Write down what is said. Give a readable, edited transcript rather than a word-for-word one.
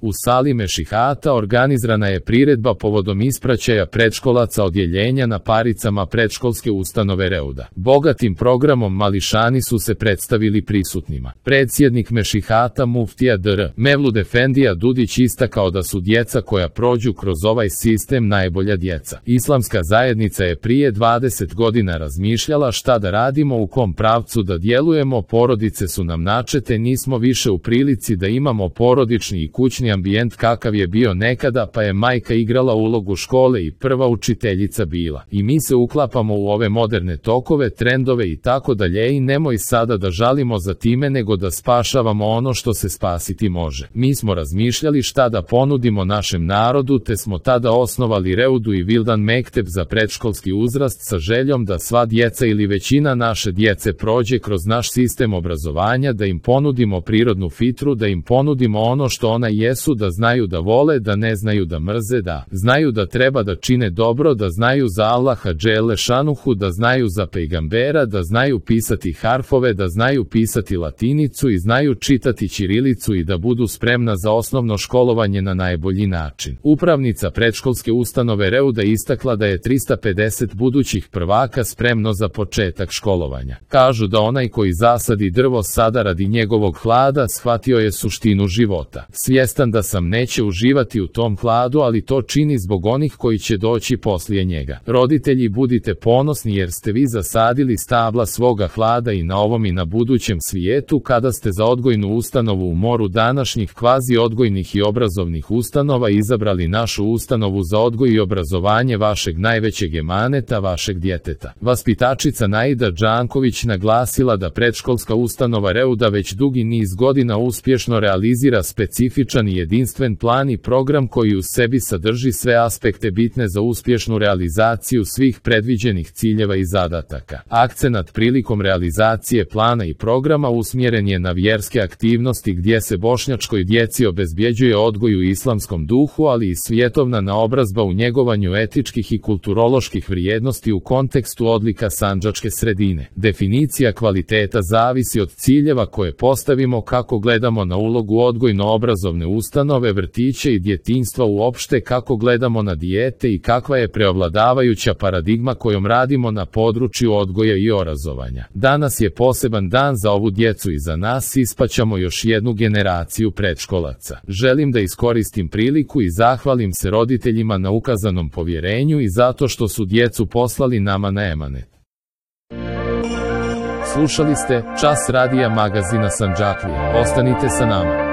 U sali Mešihata organizirana je priredba povodom ispraćaja predškolaca odjeljenja na paricama predškolske ustanove Reuda. Bogatim programom mališani su se predstavili prisutnima. Predsjednik Mešihata muftija dr. Mevlud Efendija Dudić istakao da su djeca koja prođu kroz ovaj sistem najbolja djeca. Islamska zajednica je prije 20 godina razmišljala šta da radimo, u kom pravcu da djelujemo, porodice su nam načete, nismo više u prilici da imamo porodični i kućni ambijent kakav je bio nekada, pa je majka igrala ulogu škole i prva učiteljica bila. I mi se uklapamo u ove moderne tokove, trendove i tako dalje i nemoj sada da žalimo za time, nego da spašavamo ono što se spasiti može. Mi smo razmišljali šta da ponudimo našem narodu, te smo tada osnovali Reudu i Vildan Mekteb za predškolski uzrast sa željom da sva djeca ili većina naše djece prođe kroz naš sistem obrazovanja, da im ponudimo prirodnu fitru, da im ponudimo ono što ona jesu, da znaju da vole, da ne znaju da mrze, da znaju da treba da čine dobro, da znaju za Allaha dželle šanuhu, da znaju za pejgambera, da znaju pisati harfove, da znaju pisati latinicu i znaju čitati ćirilicu i da budu spremna za osnovno školovanje na najbolji način. Upravnica predškolske ustanove Reuda istakla da je 350 budućih prvaka spremno za početak školovanja. Kažu da onaj koji zasadi drvo sada radi njegovog hlada shvatio je suštinu života. Svjestan da sam neće uživati u tom hladu, ali to čini zbog onih koji će doći poslije njega. Roditelji, budite ponosni jer ste vi zasadili stabla svoga hlada i na ovom i na budućem svijetu, kada ste za odgojnu ustanovu u moru današnjih kvazi odgojnih i obrazovnih ustanova izabrali našu ustanovu za odgoj i obrazovanje vašeg najvećeg emaneta, vašeg djeteta. Vaspitačica Naida Đanković naglasila da predškolska ustanova Reuda već dugi niz godina uspješno realizira specifičan i jedinstven plan i program koji u sebi sadrži sve aspekte bitne za uspješnu realizaciju svih predviđenih ciljeva i zadataka. Akcenat prilikom realizacije plana i programa usmjeren je na vjerske aktivnosti gdje se bošnjačkoj djeci obezbjeđuje odgoj u islamskom duhu, ali i svjetovna naobrazba u njegovanju etičkih i kulturoloških vrijednosti u kontekstu odlika sandžačke sredine. Definicija kvaliteta zavisi od ciljeva koje postavimo, kako gledamo na ulogu odgojno-obrazovne ustanove, vrtiće i djetinjstva uopšte, kako gledamo na dijete i kakva je preovladavajuća paradigma kojom radimo na području odgoja i obrazovanja. Danas je poseban dan za ovu djecu i za nas, ispaćamo još jednu generaciju predškolaca. Želim da iskoristim priliku i zahvalim se roditeljima na ukazanom povjerenju i zato što su djecu poslali nama na emanet. Slušali ste Čas radija magazina Sandžaklija. Ostanite sa nama.